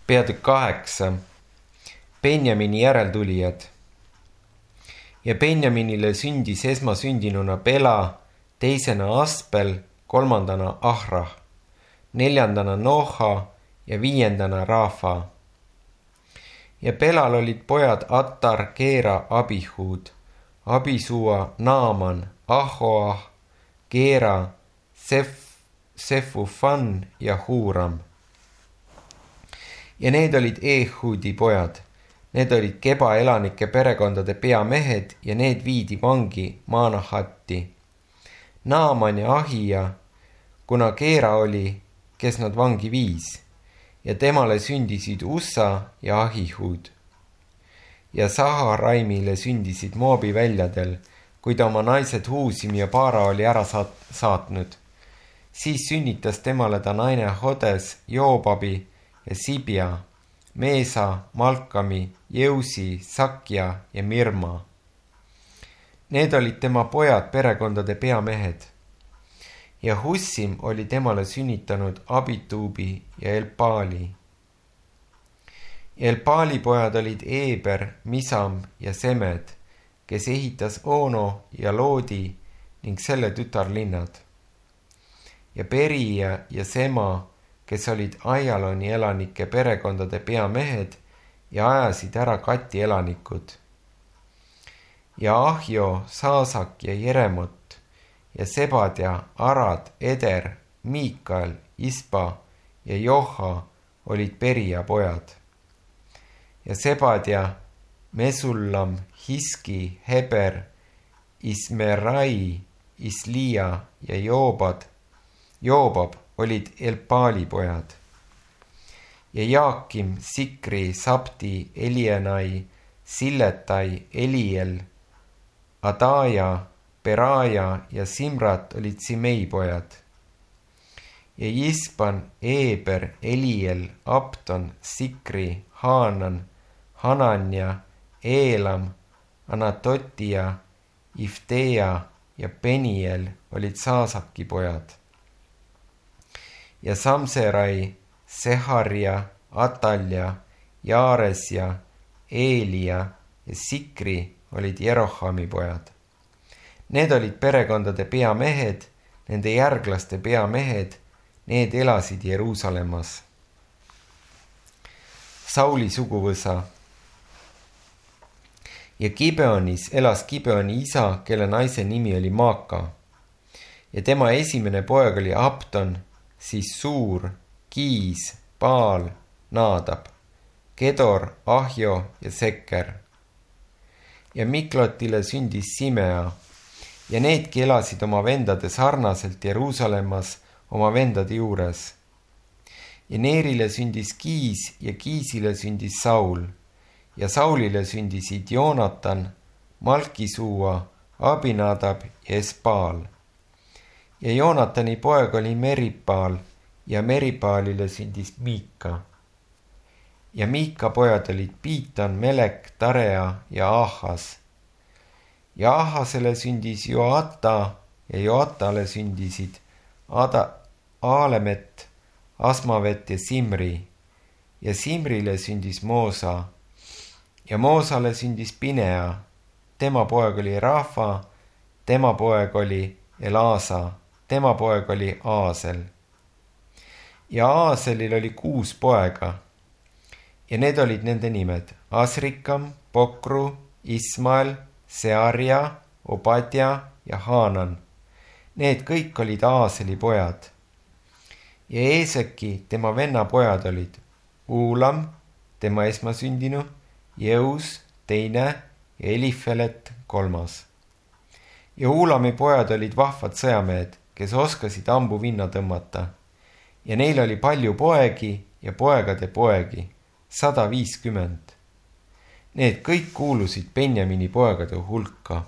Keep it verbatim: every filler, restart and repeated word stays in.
Peatükk kaheksa. Benjamini järeltulijad. Ja Benjaminile sündis esmasündinuna Bela, teisena Aspel, kolmandana Ahrah, neljandana Noha ja viiendana Rafa. Ja Belal olid pojad Attar, Keera, Abihud, Abisua, Naaman, Ahoah, Keera, Sef, Sefufan ja Huram. Ja need olid Ehudi pojad. Need olid Geba elanike perekondade peamehed ja need viidi vangi Maanahatti. Naaman ja Ahija, kuna Keera oli, kes nad vangi viis, ja temale sündisid Ussa ja Ahihud. Ja Saharaimile sündisid Moobi väljadel, kui ta oma naised Huusim ja Paara oli ära saatnud. Siis sünnitas temale ta naine Hodes, Joobabi ja Sibia, Meesa, Malkami, Jeusi, Sakja ja Mirma. Need olid tema pojad perekondade peamehed. Ja Hussim oli temale sünnitanud Abituubi ja Elpaali. Elpaali pojad olid Eber, Misam ja Semed, kes ehitas Ono ja Loodi ning selle tütarlinnad. Ja Perija ja Sema, kes olid Aialoni elanike perekondade peamehed ja ajasid ära Kati elanikud. Ja Ahjo, Saasak ja Jeremot ja Sebadja, Arad, Eder, Miikal, Ispa ja Joha olid Perija pojad. Ja Sebadja, Mesullam, Hiski, Heber, Ismerai, Islia ja Joobad, Joobab olid Elpaali pojad. Ja Jaakim, Sikri, Sabti, Elienai, Silletai, Eliel, Adaja, Peraja ja Simrat olid Simei pojad. Ja Jispan, Eber, Eliel, Abton, Sikri, Haanan, Hananja, Eelam, Anatotia, Ifteja ja Peniel olid Saasaki pojad. Ja Samserai, Seharja, Atalja, Jaares ja Eelia ja Sikri olid Jerohami pojad. Need olid perekondade peamehed, nende järglaste peamehed, need elasid Jeruusalemmas. Sauli suguvõsa. Ja Gibeonis elas Gibeoni isa, kelle naise nimi oli Maaka. Ja tema esimene poeg oli Abton, siis Suur, Kiis, Baal, Naadab, Kedor, Ahjo ja Seker. Ja Miklotile sündis Simea ja needki elasid oma vendade sarnaselt Jeruusalemmas oma vendade juures. Ja Neerile sündis Kiis ja Kiisile sündis Saul ja Saulile sündisid Joonatan, Malkisuua, Abinadab ja Esbaal. Ja Joonatani poeg oli Meripaal ja Meripaalile sündis Miika. Ja Miika pojad olid Piitan, Melek, Tarea ja Ahas. Ja Ahasele sündis Joata ja Joatale sündisid Ada, Aalemet, Asmavet ja Simri. Ja Simrile sündis Moosa. Ja Moosale sündis Pinea. Tema poeg oli Rafa, tema poeg oli Elasa, tema poeg oli Aasel. Ja Aaselil oli kuus poega. Ja need olid nende nimed: Asrikam, Pokru, Ismael, Searja, Obadja ja Haanan. Need kõik olid Aaseli pojad. Ja Eeseki, tema venna pojad olid Uulam, tema esmasündinu, Jeus, teine ja Elifelet, kolmas. Ja Uulami pojad olid vahvad sõjamehed, kes oskasid ambu vinna tõmmata. Ja neil oli palju poegi ja poegade poegi, sada viiskümmend. Need kõik kuulusid Benjamini poegade hulka.